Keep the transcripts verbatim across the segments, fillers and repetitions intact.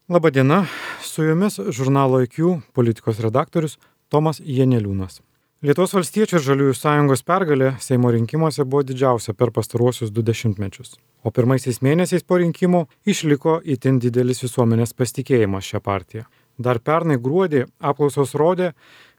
Labadiena, su jumis žurnalo I Q politikos redaktorius Tomas Janeliūnas. Lietuvos valstiečių ir žaliųjų sąjungos pergalė Seimo rinkimuose buvo didžiausia per pastaruosius du dešimtmečius, o pirmaisiais mėnesiais po rinkimų išliko itin didelis visuomenės pasitikėjimas šią partiją. Dar pernai gruodį apklausos rodė,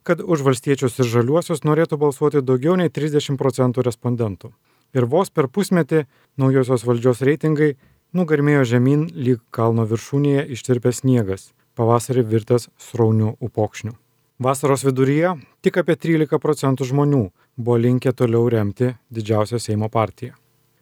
kad už valstiečius ir žaliuosius norėtų balsuoti daugiau nei trisdešimt procentų respondentų. Ir vos per pusmetį naujosios valdžios reitingai nugarmėjo žemyn lyg kalno viršūnėje ištirpęs sniegas, pavasarį virtęs sraunių upokšnių. Vasaros viduryje tik apie trylika procentų žmonių buvo linkę toliau remti didžiausią Seimo partiją.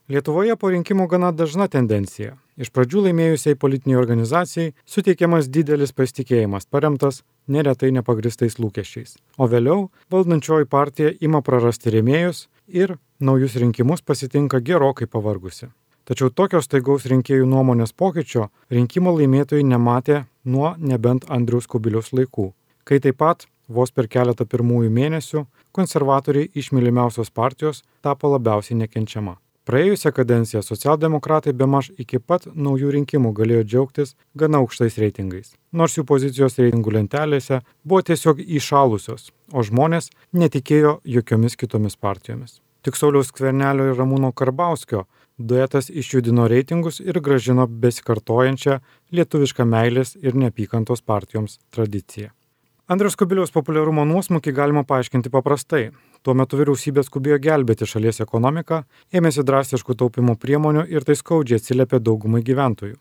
Lietuvoje po rinkimų gana dažna tendencija. Iš pradžių laimėjusiai politiniai organizacijai suteikiamas didelis pasitikėjimas, paremtas neretai nepagristais lūkesčiais. O vėliau valdančioji partija ima prarasti rėmėjus ir naujus rinkimus pasitinka gerokai pavargusi. Tačiau tokios staigaus rinkėjų nuomonės pokyčio rinkimo laimėtojai nematė nuo nebent Andriaus Kubiliaus laikų, kai taip pat vos per keletą pirmųjų mėnesių konservatoriai iš mylimiausios partijos tapo labiausiai nekenčiama. Praėjusią kadenciją socialdemokratai bemaž iki pat naujų rinkimų galėjo džiaugtis gana aukštais reitingais, nors jų pozicijos reitingų lentelėse buvo tiesiog įšalusios, o žmonės netikėjo jokiomis kitomis partijomis. Tik Sauliaus Skvernelio ir Ramūno Karbauskio duetas išjudino reitingus ir grąžino besikartojančią lietuvišką meilės ir neapykantos partijoms tradiciją. Andriaus Kubiliaus populiarumo nuosmukį galima paaiškinti paprastai. Tuo metu vyriausybė skubėjo gelbėti šalies ekonomiką, ėmėsi drastiškų taupimo priemonių ir tai skaudžiai atsiliepė daugumai gyventojų.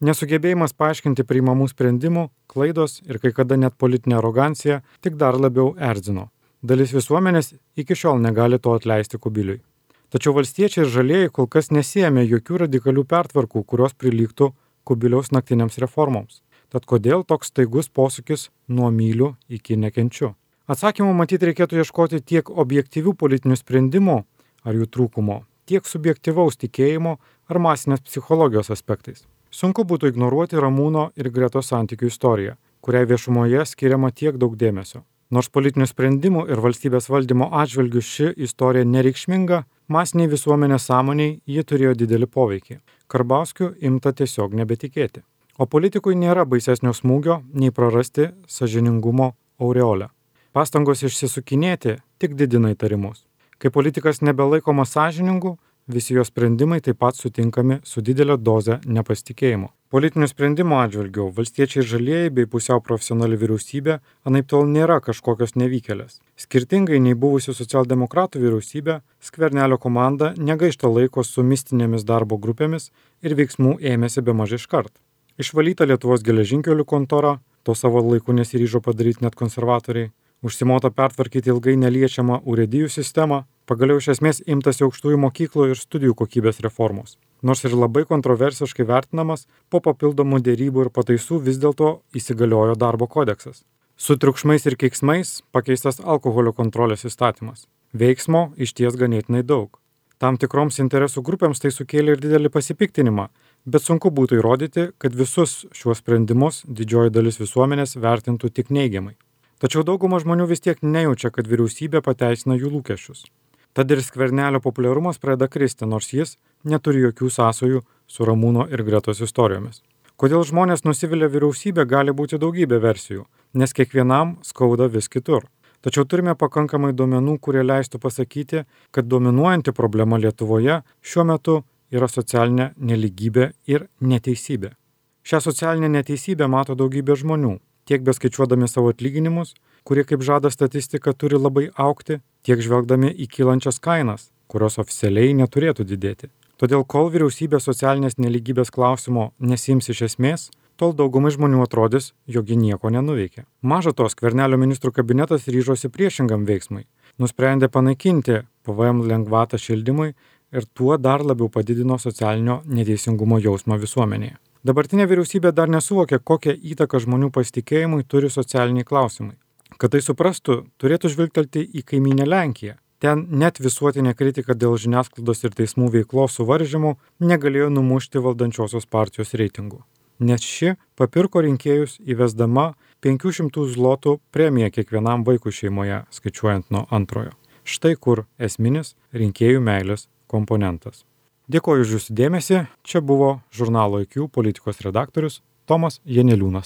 Nesugebėjimas paaiškinti priimamų sprendimų, klaidos ir kai kada net politinė arogancija tik dar labiau erzino. Dalis visuomenės iki šiol negali to atleisti Kubiliui. Tačiau valstiečiai ir žalieji kol kas nesiėmė jokių radikalių pertvarkų, kurios prilygtų Kubiliaus naktiniams reformoms. Tad kodėl toks staigus posūkis nuo myliu iki nekenčiu? Atsakymų matyti reikėtų ieškoti tiek objektyvių politinių sprendimų ar jų trūkumo, tiek subjektyvaus tikėjimo ar masinės psichologijos aspektais. Sunku būtų ignoruoti Ramūno ir Gretos santykių istoriją, kuriai viešumoje skiriama tiek daug dėmesio. Nors politinių sprendimų ir valstybės valdymo atžvilgių ši istorija nereikšminga, masiniai visuomenės sąmoniai ji turėjo didelį poveikį. Karbauskiu imta tiesiog nebetikėti. O politikui nėra baisesnio smūgio nei prarasti sąžiningumo aureolę. Pastangos išsisukinėti tik didina įtarimus. Kai politikas nebelaikomas sąžiningu, visi jo sprendimai taip pat sutinkami su didelė doze nepasitikėjimo. Politinių sprendimų atžvilgių valstiečiai ir žalieji bei pusiau profesionali vyriausybė anaiptol nėra kažkokios nevykėlės. Skirtingai nei buvusi socialdemokratų vyriausybė, Skvernelio komanda negaišta laiko su mistinėmis darbo grupėmis ir veiksmų ėmėsi bemaž iškart. Išvalyta Lietuvos geležinkelių kontora, to savo laiku nesiryžo padaryti net konservatoriai, užsimota pertvarkyti ilgai neliečiamą urėdijų sistemą, pagaliau iš esmės imtasi aukštųjų mokyklų ir studijų kokybės reformos. Nors ir labai kontroversiškai vertinamas, po papildomų dėrybų ir pataisų vis dėlto įsigaliojo darbo kodeksas. Su triukšmais ir keiksmais pakeistas alkoholio kontrolės įstatymas. Veiksmo išties ganėtinai daug. Tam tikroms interesų grupėms tai sukėlė ir didelį pasipiktinimą, bet sunku būtų įrodyti, kad visus šiuos sprendimus didžioji dalis visuomenės vertintų tik neigiamai. Tačiau dauguma žmonių vis tiek nejaučia, kad vyriausybė pateisina jų lūkesčius. Tad ir Skvernelio populiarumas pradeda kristi, nors jis neturi jokių sąsajų su Ramūno ir Gretos istorijomis. Kodėl žmonės nusivylė vyriausybė, gali būti daugybė versijų, nes kiekvienam skauda vis kitur. Tačiau turime pakankamai duomenų, kurie leistų pasakyti, kad dominuojanti problema Lietuvoje šiuo metu yra socialinė neligybė ir neteisybė. Šią socialinę neteisybę mato daugybė žmonių, tiek beskaičiuodami savo atlyginimus, kurie, kaip žada statistika, turi labai augti, tiek žvelgdami į kylančias kainas, kurios oficialiai neturėtų didėti. Todėl, kol vyriausybė socialinės neligybės klausimo nesiims iš esmės, tol daugumai žmonių atrodys, jog ji nieko nenuveikė. Maža to, Skvernelio ministrų kabinetas ryžosi priešingam veiksmui. Nusprendė panaikinti P V M lengvatą šildymui ir tuo dar labiau padidino socialinio neteisingumo jausmą visuomenėje. Dabartinė vyriausybė dar nesuvokė, kokią įtaką žmonių pasitikėjimui turi socialiniai klausimai. Kad tai suprastų, turėtų žvilgtelti į kaimynę Lenkiją. Ten net visuotinė kritika dėl žiniasklaidos ir teismų veiklos suvaržymų negalėjo numušti valdančiosios partijos reitingų. Nes ši papirko rinkėjus įvesdama penkių šimtų zlotų premiją kiekvienam vaikui šeimoje, skaičiuojant nuo antrojo. Štai kur esminis rinkėjų meilės komponentas. Dėkoju už jūsų dėmesį. Čia buvo žurnalo I Q politikos redaktorius Tomas Janeliūnas.